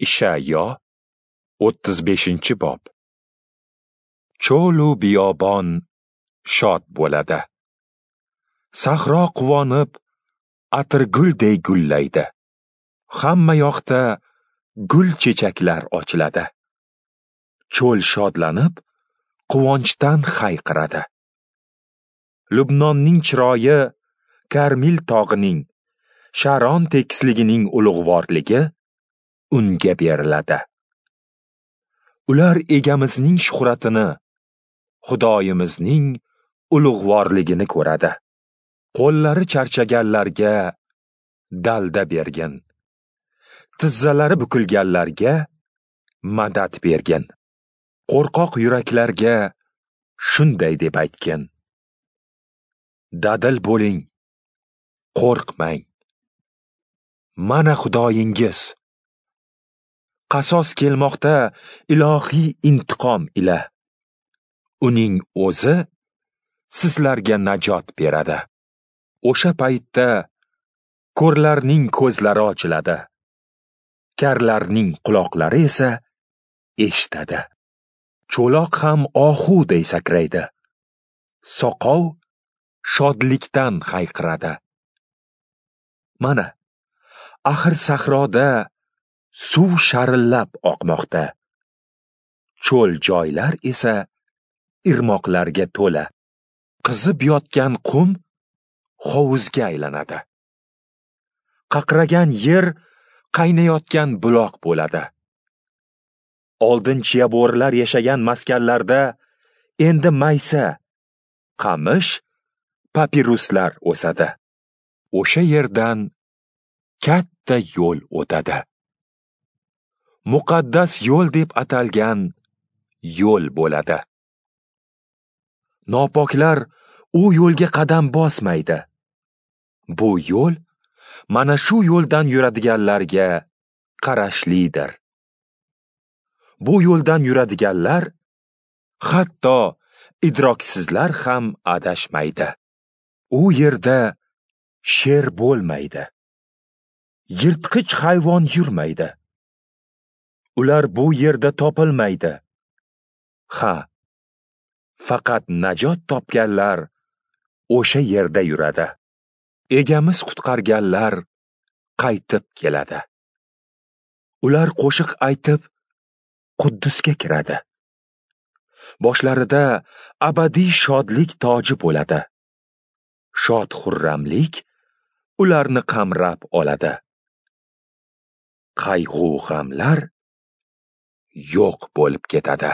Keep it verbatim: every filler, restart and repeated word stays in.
Ishayo o'ttiz beshinchi bob. Cho'lu biyobon shod bo'ladi. Sahro quvonib, atirgulday gullaydi. Hamma yoqda gul chechaklar ochiladi. Cho'l shodlanib, quvonchdan hayqiradi. Lubnonning chiroyi, Karmil tog'ining, Sharon tekisligining ulug'vorligi unga beriladi. Ular egamizning shuhratini, Xudoyimizning ulug'vorligini ko'radi. Qo'llari charchaganlarga dalda bergin. Tizzalari bukilganlarga madad bergin. Qo'rqoq yuraklarga shunday deb aytgin: Dadil bo'ling, qo'rqmang. Mana Xudoyingiz. Qasos kelmoqda ilohiy intiqom ila. Uning o'zi sizlarga najot beradi. O'sha paytda ko'rlarning ko'zlari ochiladi. Karlarning quloqlari esa eshitadi. Cho'loq ham ohuday sakraydi. Soqov shodlikdan hayqiradi. Mana, axir sahroda suv sharillab oqmoqda. Cho'l joylar esa irmoqlarga to'la. Qizib yotgan qum hovuzga aylanadi. Qaqragan yer qaynayotgan buloq bo'ladi. Oldin chiyabo'rilar yashagan maskanlarda endi maysa, qamish, papiruslar o'sadi. O'sha yerdan katta yo'l o'tadi. Muqaddas yo'l deb atalgan yo'l bo'ladi. Nopoklar u yo'lga qadam bosmaydi. Bu yo'l mana shu yo'ldan yuradiganlarga qarashlidir. Bu yo'ldan yuradiganlar, hatto idroksizlar ham adashmaydi. U yerda sher bo'lmaydi. Yirtqich hayvon yurmaydi. Ular bu yerda topilmaydi. Ha, faqat najot topganlar o'sha yerda yuradi. Egamiz qutqarganlar qaytib keladi. Ular qo'shiq aytib Quddusga kiradi. Boshlarida abadiy shodlik toji bo'ladi. Shod xurramlik ularni qamrab oladi. Qayg'u g'amlar yo'q bo'lib ketadi.